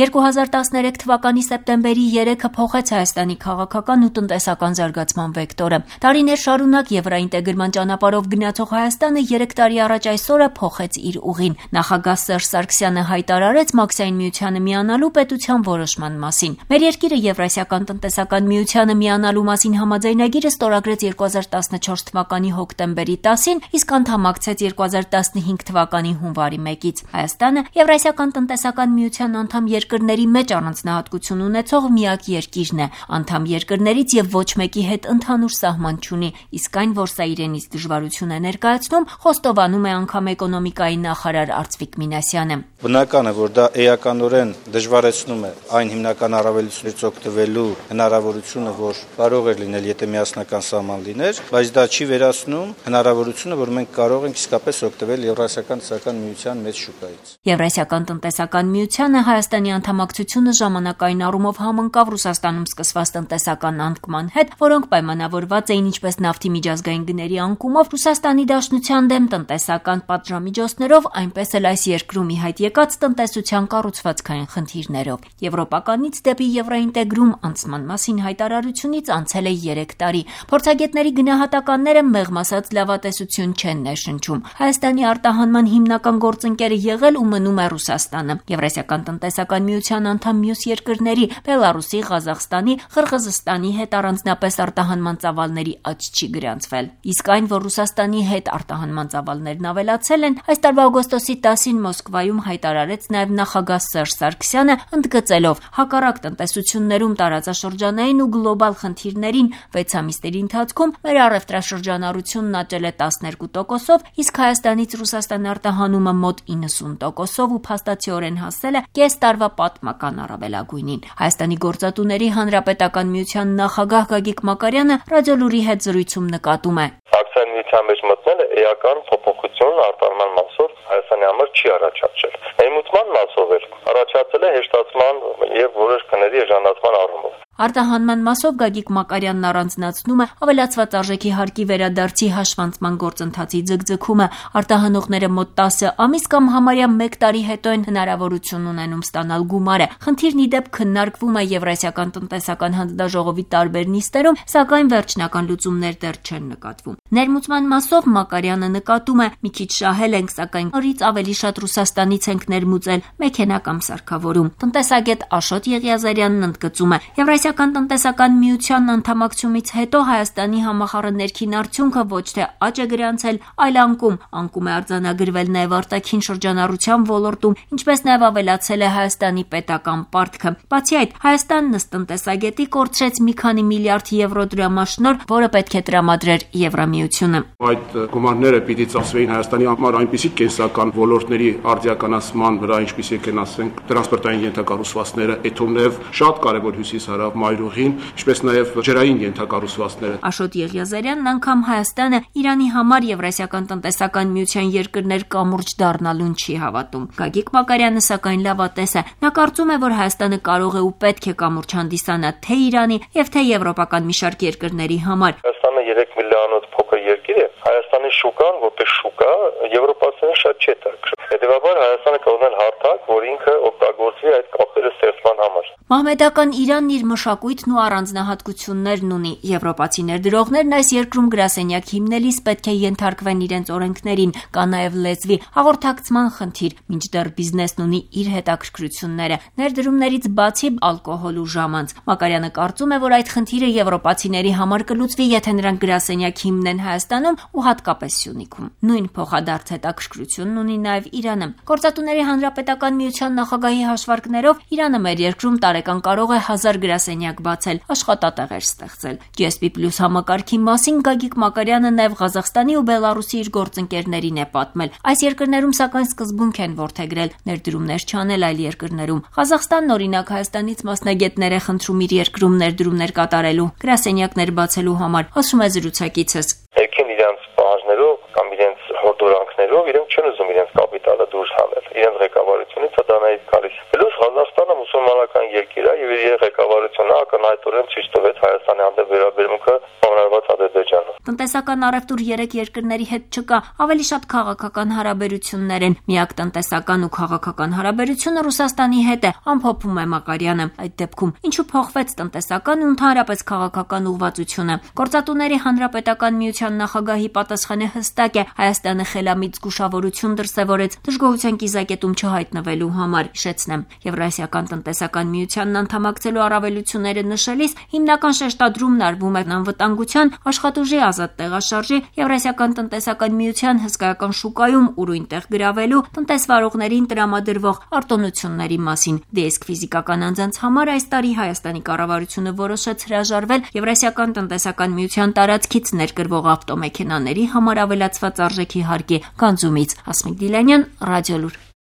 2013 թվականի սեպտեմբերի 3-ը փոխեց Հայաստանի քաղաքական ու տնտեսական զարգացման վեկտորը։ Տարիներ շարունակ եվրոինտեգրման ճանապարհով գնացող Հայաստանը 3 տարի առաջ այսօրը փոխեց իր ուղին։ Նախագահ Սերժ Սարգսյանը հայտարարեց Մաքսային միությանը միանալու պետության որոշման մասին։ Մեր երկիրը Եվրասիական տնտեսական միությանը միանալու մասին համաձայնագիրը ստորագրեց 2014 թվականի հոկտեմբերի 10-ին, իսկ անդամակցեց 2015 թվականի հունվարի 1-ից։ Հայաստանը Եվրասիական տնտեսական միության անդամ երկրների մեջ առանձնահատկություն ունեցող միակ երկիրն է։ Անդամ երկրներից եւ ոչ մեկի հետ ընդհանուր սահման չունի, իսկ այն, որ սա իրենից դժվարություն է ներկայացնում, խոստովանում է անգամ էկոնոմիկայի նախարար Արծվիկ Մինասյանը։ Բնական է, որ դա էականորեն դժվարեցնում է այն հիմնական առավելություններից օգտվելու հնարավորությունը, որ կարող էր լինել, եթե միասնական սահման լիներ, բայց դա չի վերացնում հնարավորությունը, որ մենք կարող ենք իսկապես օգտվել Եվրասիական տնտեսական միության մեծ շուկայից։ Եվրասիական տնտեսական միությանը Հայաստանի անդամակցությունը ժամանակային առումով համընկավ Ռուսաստանում սկսված տնտեսական անկման հետ, որոնք պայմանավորված էին ինչպես նավթի միջազգային գների անկումով, Ռուսաստանի Դաշնության դեմ տնտեսական պատժամիջոցներով, այնպես էլ այս երկրում ի հայտ եկած տնտեսության կառուցվածքային խնդիրներով։ Եվրոպականից դեպի եվրոինտեգրում անցման մասին հայտարարությունից անցել է 3 տարի։ Փորձագետների գնահատականները մեղմ ասած լավատեսություն չեն ներշնչում։ Հայաստանի արտահանման հիմնական գործընկերը եղել ու մնում է Ռուսաստանը։ Եվրասիական տնտեսական միության անդամ մյուս երկրների Բելարուսի, Ղազախստանի, Ղրղզստանի հետ առանձնապես արտահանման ծավալների աճ չի գրանցվել։ Իսկ այն, որ Ռուսաստանի հետ արտահանման ծավալներն ավելացել են, այս տարվա օգոստոսի 10-ին Մոսկվայում հայտարարեց նաև նախագահ Սերժ Սարգսյանը, ընդգծելով հակառակ տնտեսություններում տարածաշրջանային ու գլոբալ խնդիրներին 6 ամիսների ընթացքում մեր առևտրաշրջանառությունն աճել է 12%-ով, իսկ Հայաստանից Ռուսաստան արտահանումը մոտ 90%-ով ու փաստացիորեն հասել է կես տարվա պատմական առավելագույնին։ Հայաստանի գործատուների հանրապետական միության նախագահ Գագիկ Մակարյանը ռադիոլուրի հետ զրույցում նկատում է. Մաքսային միության մեջ մտնելը էական փոփոխություն արտահանման մասով Հայաստանի համար չի առաջացել։ Ներմուծման մասով էլ առաջացել է հեշտացման եւ որոշ քների էժանացման առումով։ Արտահանման մասով Գագիկ Մակարյանն առանձնացնում է ավելացված արժեքի հարկի վերադարձի հաշվանցման գործընթացի ձգձգումը։ Արտահանողները մոտ 10 ամիս կամ համարյա 1 տարի հետո են հնարավորություն ունենում ստանալ գումարը։ Խնդիրն ի դեպ քննարկվում է Եվրասիական տնտեսական հանձնաժողովի տարբեր նիստերում, սակայն վերջնական լուծումներ դեռ չեն նկատվում։ Ներմուծման մասով Մակարյանը նկատում է՝ մի քիչ շահել ենք, սակայն նորից ավելի շատ Ռուսաստանից ենք ներմուծել մեքենա կամ սարքավորում։ Տնտեսագետ Աշոտ Եղիազարյանն ընդգծում է. Եվրասիական տնտեսական միության անդամակցումից հետո Հայաստանի համախառն ներքին արդյունքը ոչ թե աճ է գրանցել, այլ անկում։ Անկում է արձանագրվել նաև արտաքին շրջանառության ոլորտում, ինչպես նաև ավելացել է Հայաստանի պետական պարտքը։ Բացի այդ, Հայաստանն ըստ տնտեսագետի կորցրեց մի քանի միլիարդ եվրո դրամաշնորհ, որը պետք է տրամադրեր Եվրամիությունը։ Այդ գումարները պիտի ծախսվեին Հայաստանի համար այնպիսի կենսական ոլորտների արդիականացման վրա, ինչպիսիք են, ասենք, տրանսպորտային ենթակառուցվածքները, էթոմներով շատ կարևոր հյուսիս-հարավ մայրուղին, ինչպես նաև ջրային ենթակառուցվածքները։ Աշոտ Եղիազարյանն անգամ Հայաստանը Իրանի համար Եվրասիական տնտեսական միության երկրներ կամուրջ դառնալուն չի հավատում։ Գագիկ Մակարյանը սակայն լավատես է։ Նա կարծում է, որ Հայաստանը կարող է ու պետք է կամուրջ հանդիսանա թե Իրանի եւ թե եվրոպական մի շարք երկրների համար։ Հայաստանը 3 միլիոնոց փոքր երկիր է։ Հայաստանի շուկան որպես շուկա եվրոպացիներին շատ չէ տակրում։ Հետևաբար Հայաստանը կարող է հարթակ, որ ինքը օգտագործվի այդ կապերի ստեղծման համար։ Մահմեդական Իրանն իր մշակույթն ու առանձնահատկություններն ունի։ Եվրոպացի ներդրողներն այս երկրում գրասենյակ հիմնելիս պետք է ենթարկվեն իրենց օրենքներին, կա նաև լեզվի հաղորդակցման խնդիր, մինչդեռ բիզնեսն ունի իր հետաքրքրությունները, ներդրումներից բացի ալկոհոլ ու ժամանց։ Մակարյանը կարծում է, որ այդ խնդիրը եվրոպացիների համար կլուծվի, եթե նրանք գրասենյակ հիմնեն Հայաստանում ու հատկապես Սյունիքում։ Նույն փոխադարձ հետաքրքրությունն ունի նաև Իրանը։ Գործատուների հանրապետական միության նախագահի հաշվարկներով Իրանը մեր երկրում տարեկան կարող է 1000 գրասենյակ բացել, աշխատատեղեր ստեղծել։ GSP+ համակարգի մասին Գագիկ Մակարյանը նաև Ղազախստանի ու Բելարուսի իր գործընկերներին է պատմել։ Այս երկրներում սակայն սկզբունք են որդեգրել ներդրումներ չանել այլ երկրներում։ Ղազախստանն օրինակ Հայաստանից մասնագետներ է խնդրում իր երկրում ներդրումներ կատարելու, գրասենյակներ բացելու համար, ասում է զրուցակիցս։ Եկին իրանց պահանջներով կամ իրենց հորդորանքներով իրենք չեն ուզում իրենց կապիտալը դուրս հանել։ Իրենց ղեկավարությունից դա նաև գալիս։ Պլյուս Ղազախստանը մուսուլմանական երկիր է եւ իր ղեկավարությունը ակնհայտորեն ցույց տվեց Հայաստանի հանդեպ վերաբերմունքը ողնարված Ադրբեջանով։ Տնտեսական առևտուր 3 երկրների հետ չկա, ավելի շատ քաղաքական հարաբերություններ են։ Միակ տնտեսական ու քաղաքական հարաբերությունը Ռուսաստանի հետ է, ամփոփում է Մակարյանը։ Այդ դեպքում ինչու փոխվեց տնտեսական ու ընդհանրապես քաղաքական ուղղվածությունը։ Գործատուների հանրապետական միության նախագահի պատասխանը հստակ է. Հայաստանը խելամիտ զգուշավորություն դրսևորեց դժգոհության կիզակետում չհայտնվելու համար։ Հիշեցնեմ, Եվրասիական տնտեսական միությանն անդամակցելու առավելությունները նշելիս հիմնական շեշտադրումն արվում է անվտանգության, աշխատուժի ազատ տեղաշարժի, Եվրասիական տնտեսական միության հսկայական շուկայում ուրույն տեղ գրավելու, տնտեսվարողներին տրամադրվող արտոնությունների մասին։ Դեսկ ֆիզիկական անձանց համար այս տարի Հայաստանի կառավարությունը որոշեց հրաժարվել Եվրասիական տնտեսական միության տարածքից ներկրվող ավտոմեքենաների համար ավելացված արժեքի հարկի գանձումից։ Հասմիկ Դիլանյան, Ռադիոլուր։